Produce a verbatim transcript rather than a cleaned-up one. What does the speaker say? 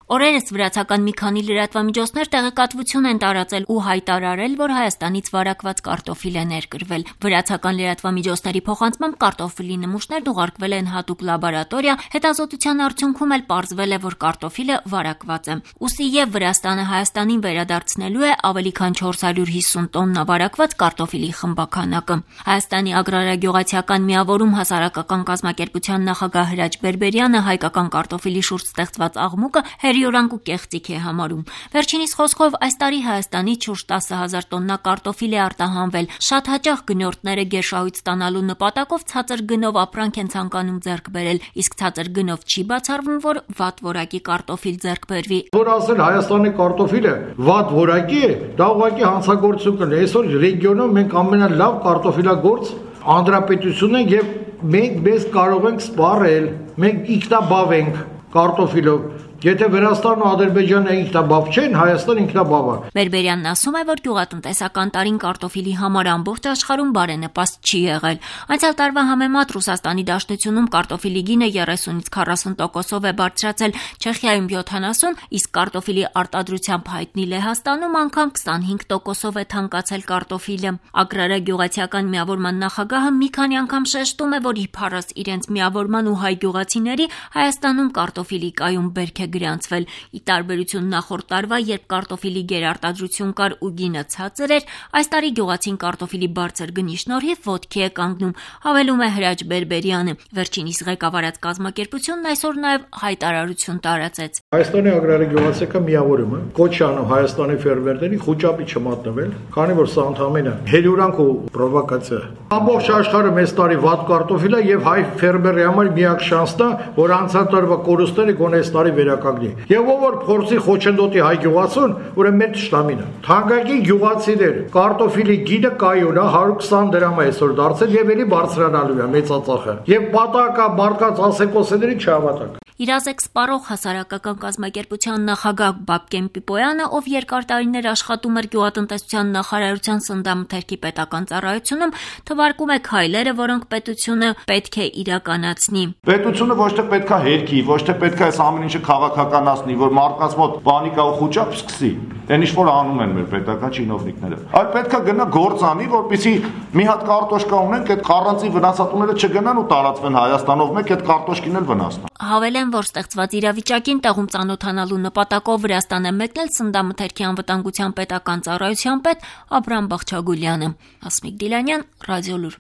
Օրերս վրացական մի քանի լրատվամիջոցներ տեղեկատվություն են տարածել ու հայտարարել, որ Հայաստանից վարակված կարտոֆիլ է ներկրվել։ Վրացական լրատվամիջոցների փոխանցմամբ կարտոֆիլի նմուշներն ուղարկվել են հատուկ լաբորատորիա, հետազոտության արդյունքում էլ պարզվել է, որ կարտոֆիլը վարակված է։ Ուստի եւ Վրաստանը Հայաստանին վերադարձնելու է ավելի քան չորս հարյուր հիսուն տոննա վարակված կարտոֆիլի խմբականակը։ Հայաստանի ագրարագյուղացիական միավորում հասարակական կազմակերպության նախագահ Հրաչ Բերբերյանը հայկական կարտոֆիլի շուրջ ստեղծված աղմուկը հերիորանք ու կեղծիք է համարում։ Վերջինիս խոսքով այս տարի Հայաստանից շուրջ տասը հազար տոննա կարտոֆիլ է արտահանվել։ Շատ հաճախ գնորդները գերշահույթ ստանալու նպատակով ցածր գնով ապրանք են ցանկանում ձեռք բերել, իսկ ցածր գնով չի բացառվում, որ վատ որակի կարտոֆիլ ձեռք բերվի։ Որ ասել Հայաստանի կարտոֆիլը վատ որակի է, դա ուղղակի հանցագործություն կլինի։ Այսօր ռեգիոնում մենք ամենալավ կարտոֆիլագործ հանրապետությունն ենք եւ մենք մեզ կարող ենք սպառել, մենք ինքնաբավ ենք կարտոֆիլով։ Եթե Վրաստանն ու Ադրբեջանը ինքնաբավ չեն, Հայաստանը ինքնաբավ է։ Բերբերյանն ասում է, որ գյուղատնտեսական տարին կարտոֆիլի համար ամբողջ աշխարհում բարենպաստ չի եղել։ Անցյալ տարվա համեմատ Ռուսաստանի Դաշնությունում կարտոֆիլի գինը երեսունից քառասուն տոկոսով է բարձրացել, Չեխիայում յոթանասուն, իսկ կարտոֆիլի արտադրությամբ հայտնի Լեհաստանում անգամ քսանհինգ տոկոսով է թանկացել կարտոֆիլը։ Ագրարագյուղացիական միավորման նախագահը մի քանի անգամ շեշտում է, որ իբարս իրենց միավորման ու հայ գյուղացիների Հայաստանում կարտոֆիլի կայուն բերք գրանցվել։ Ի տարբերություն նախորդ տարվա, երբ կարտոֆիլի գերարտադրություն կար ու գինը ցածր էր, այս տարի գյուղացին կարտոֆիլի բարձր գնի շնորհիվ ոտքի է կանգնում, հավելում է Հրաչ Բերբերյանը։ Վերջինիս ղեկավարած կազմակերպությունն այսօր նաև հայտարարություն տարածեց։ Հայաստանի ագրարագյուղացիական միավորումը կոչ է անում Հայաստանի ֆերմերներին խոճապի չմատնվել, քանի որ սա ընդհանրապես հերիորանք ու պրովոկացիա է։ Ամբողջ աշխարհը մեծ տարի վատ կարտոֆիլ է եւ հայ ֆերմերի համար միակ շանսն է, որ անցած տարվա կորուստները գոնե այս տարի վերականգնի։ Եվ ով որ փորձի խոչընդոտի հայ գյուղացուն, ուրեմն մեր թշնամին է։ Թանկագին գյուղացիներ, կարտոֆիլի գինը կայուն է հարյուր քսան դրամ է այսօր դարձել եւ ելի բարձրանալու է մեծածախը։ Եվ պատակա մարդկանց ասեկոսեների չհավատակ։ Իրազեկ սպառող հասարակական կազմակերպության նախագահ Բաբկեն Պիպոյանը, ով երկար տարիներ աշխատում էր գյուղատնտեսության նախարարության սննդամթերքի պետական ծառայությունում, թվարկում է քայլերը, որոնք պետությունը պետք է իրականացնի։ Պետությունը ոչ թե պետք է հերքի, ոչ թե պետք է այս ամեն ինչը քաղաքականացնի, որ մարդկանց մոտ պանիկա ու խոճապ սկսի։ Այն ինչ որ անում են մեր պետական չինովնիկները։ Այլ պետք է գնա գործ անի, որպեսզի մի հատ կարտոշկա ունենք, այդ առանձին վնասատուները չգնան ու տարածվեն Հայաստանով մեկ այդ կարտոշկին էլ վնասնա։ Հավելեն, որ ստեղծված իրավիճակին տեղում ծանոթանալու նպատակով Վրաստան է մեկնել սննդամթերքի անվտանգության պետական ծառայության պետ Աբրամ Բախչագուլյանը։ Հասմիկ Դիլանյան, Ռադիոլուր։